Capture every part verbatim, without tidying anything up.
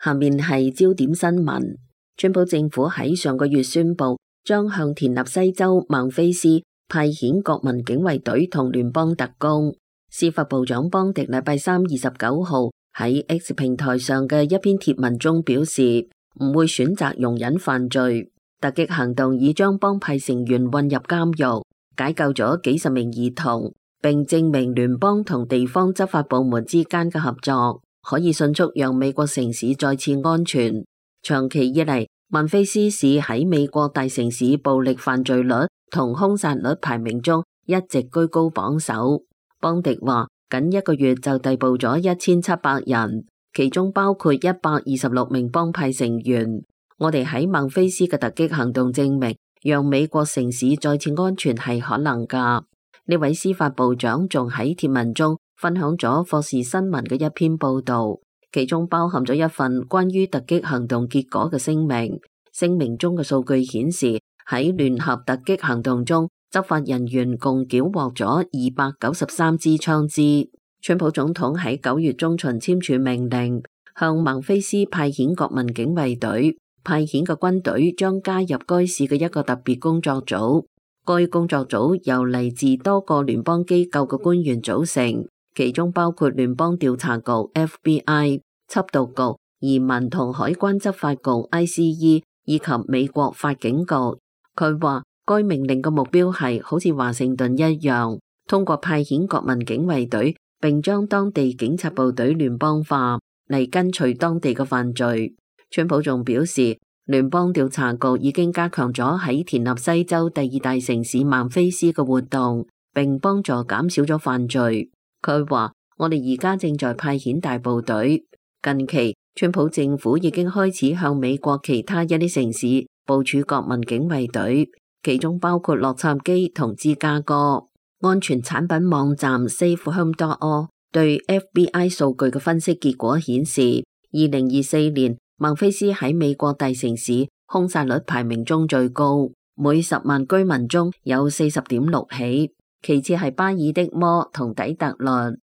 下面係焦點新聞。川普政府喺上個月宣布，將向田納西州孟菲斯派遣國民警衛隊同聯邦特工。司法部長邦迪禮拜三二十九號喺 X 平台上嘅一篇貼文中表示，唔會選擇容忍犯罪。突擊行動已將幫派成員混入監獄，解救咗幾十名兒童，並證明聯邦同地方執法部門之間嘅合作可以迅速讓美國城市再次安全。長期以嚟，孟菲斯市喺美國大城市暴力犯罪率同兇殺率排名中一直居高榜首。邦迪話，僅一個月就逮捕咗一千七百人，其中包括一百二十六名幫派成員。我哋喺孟菲斯嘅突擊行動證明，讓美國城市再次安全係可能㗎。呢位司法部長仲喺貼文中分享咗霍士新聞嘅一篇報導，其中包含咗一份關於突擊行動結果嘅聲明。聲明中嘅數據顯示，喺聯合突擊行動中，執法人員共繳獲咗二百九十三支槍支。川普總統喺九月中旬簽署命令，向孟菲斯派遣國民警衛隊。派遣嘅軍隊將加入該市嘅一個特別工作組，該工作組由嚟自多個聯邦機構嘅官員組成，其中包括聯邦調查局 F B I、緝毒局、移民同海關執法局 I C E 以及美國法警局。佢話該命令嘅目標係好似華盛頓一樣，通過派遣國民警衛隊，並將當地警察部隊聯邦化嚟跟隨當地嘅犯罪。川普仲表示，聯邦調查局已經加強咗喺田納西州第二大城市孟菲斯嘅活動，並幫助減少咗犯罪。佢話，我哋而家正在派遣大部隊。近期，川普政府已經開始向美國其他一啲城市部署國民警衛隊，其中包括洛杉磯同芝加哥。安全產品網站 Safe Home dot org 對 F B I 數據嘅分析結果顯示，二零二四年孟菲斯喺美國大城市兇殺率排名中最高，每十萬居民中有四十點六起，其次係巴爾的摩同底特律。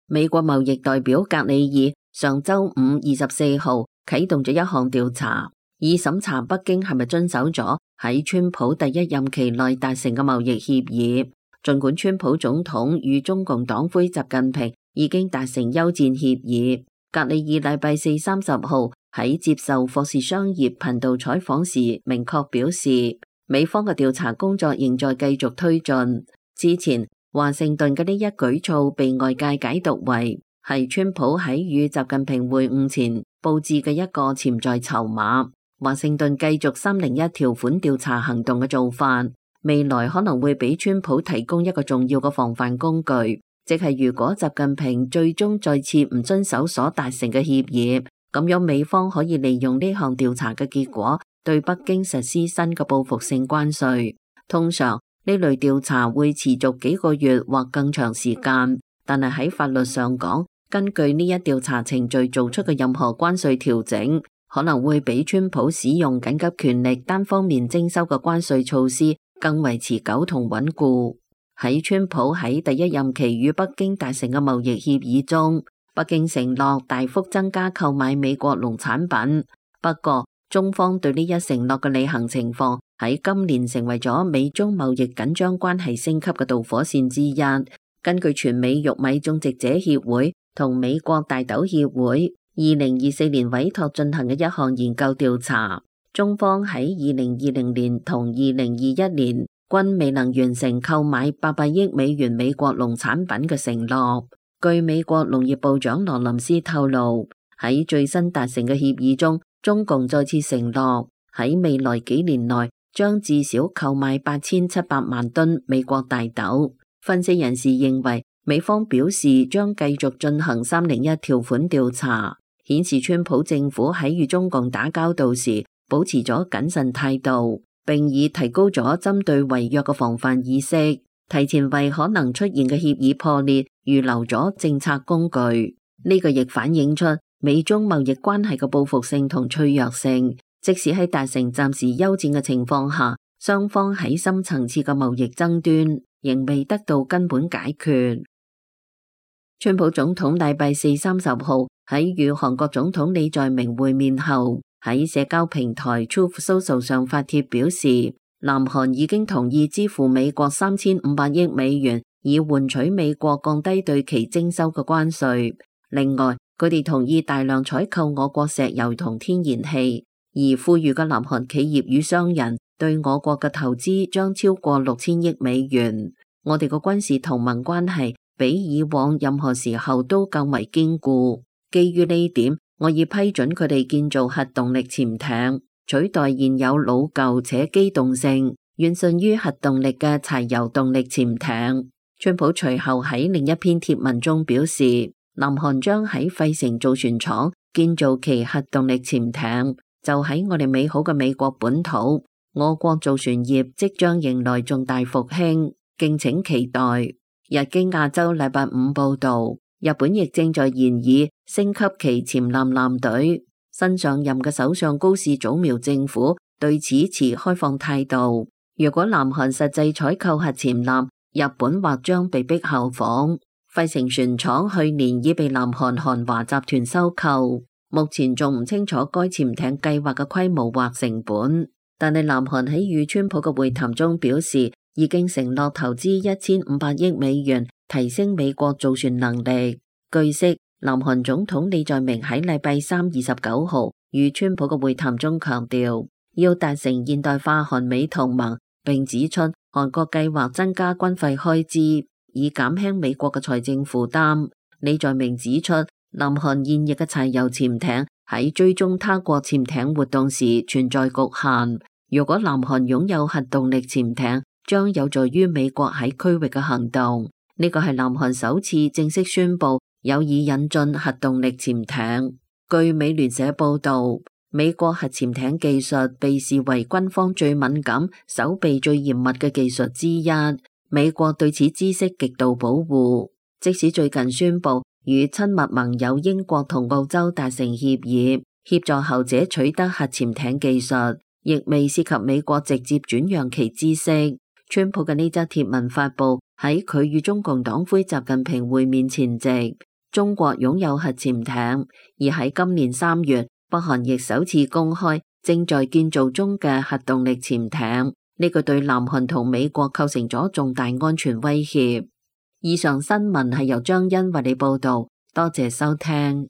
美國貿易代表格里爾上周五二十四號啟動咗一項調查，以審查北京係咪遵守咗喺川普第一任期內達成嘅貿易協議。儘管川普總統與中共黨魁習近平已經達成休戰協議，格里爾禮拜四三十號喺接受霍士商業頻道採訪時明確表示，美方嘅調查工作仍在繼續推進。之前華盛頓嘅呢一舉措被外界解讀為係川普喺與習近平會晤前佈置嘅一個潛在籌碼。華盛頓繼續三零一條款調查行動嘅做法，未來可能會俾川普提供一個重要嘅防範工具，即係如果習近平最終再次唔遵守所達成嘅協議，咁樣美方可以利用呢項調查嘅結果，對北京實施新嘅報復性關稅。通常呢類調查會持續幾個月或更長時間，但係喺法律上講，根據呢一調查程序做出嘅任何關稅調整，可能會比川普使用緊急權力單方面徵收嘅關稅措施更為持久同穩固。喺川普喺第一任期與北京達成嘅貿易協議中，北京承諾大幅增加購買美國農產品。不過，中方對呢一承諾嘅履行情況喺今年成為咗美中貿易緊張關係升級嘅導火線之一。根據全美玉米種植者協會同美國大豆協會二零二四年委託進行嘅一項研究調查，中方喺二零二零年同二零二一年均未能完成購買八百億美元美國農產品嘅承諾。據美國農業部長羅林斯透露，喺最新達成嘅協議中，中共再次承諾喺未來幾年內將至少購買八千七百萬噸美國大豆。分析人士認為，美方表示將繼續進行三零一條款調查，顯示川普政府喺與中共打交道時保持咗謹慎態度，並已提高咗針對違約嘅防範意識，提前為可能出現嘅協議破裂預留咗政策工具。呢個亦反映出美中貿易關係嘅報復性同脆弱性，即使喺達成暫時休戰嘅情況下，雙方喺深層次嘅貿易爭端仍未得到根本解決。川普總統禮拜四三十號喺與韓國總統李在明會面後，喺社交平台 Truth Social 上發帖表示，南韓已經同意支付美國三千五百億美元，以換取美國降低對其徵收嘅關稅。另外，佢哋同意大量採購我國石油同天然氣，而富裕嘅南韓企業與商人對我國嘅投資將超過六千億美元。我哋嘅軍事同盟關係比以往任何時候都更為堅固。基於呢點，我已批准佢哋建造核動力潛艇，取代現有老舊且機動性遠遜於核動力嘅柴油動力潛艇。川普隨後喺另一篇貼文中表示，南韓將喺費城造船廠建造其核動力潛艇，就喺我哋美好嘅美國本土，我國造船業即將迎來重大復興，敬請期待。日經亞洲禮拜五報道，日本亦正在研議升級其潛艦艦隊。新上任嘅首相高市早苗政府對此持開放態度。如果南韓實際採購核潛艦，日本或將被迫效仿。費城船廠去年已被南韓韓華集團收購，目前仲唔清楚該潛艇計劃嘅規模或成本。但係南韓喺與川普嘅會談中表示，已經承諾投資一千五百億美元，提升美國造船能力。據悉，南韓總統李在明喺禮拜三二十九號與川普嘅會談中強調，要達成現代化韓美同盟，並指出韓國計劃增加軍費開支，以減輕美國嘅財政負擔。李在明指出，南韓現役嘅柴油潛艇喺追蹤他國潛艇活動時存在局限。如果南韓擁有核動力潛艇，將有助於美國喺區域嘅行動。呢個係南韓首次正式宣布有意引進核動力潛艇。據美聯社報道，美國核潛艇技術被視為軍方最敏感、守備最嚴密嘅技術之一。美國對此知識極度保護，即使最近宣布與親密盟友英國同澳洲達成協議，協助後者取得核潛艇技術，亦未涉及美國直接轉讓其知識。川普嘅呢則貼文發布喺佢與中共黨魁習近平會面前夕。中國擁有核潛艇，而喺今年三月，北韓亦首次公開正在建造中嘅核動力潛艇。呢個對南韓同美國構成咗重大安全威脅。以上新聞係由張欣為你報道，多謝收聽。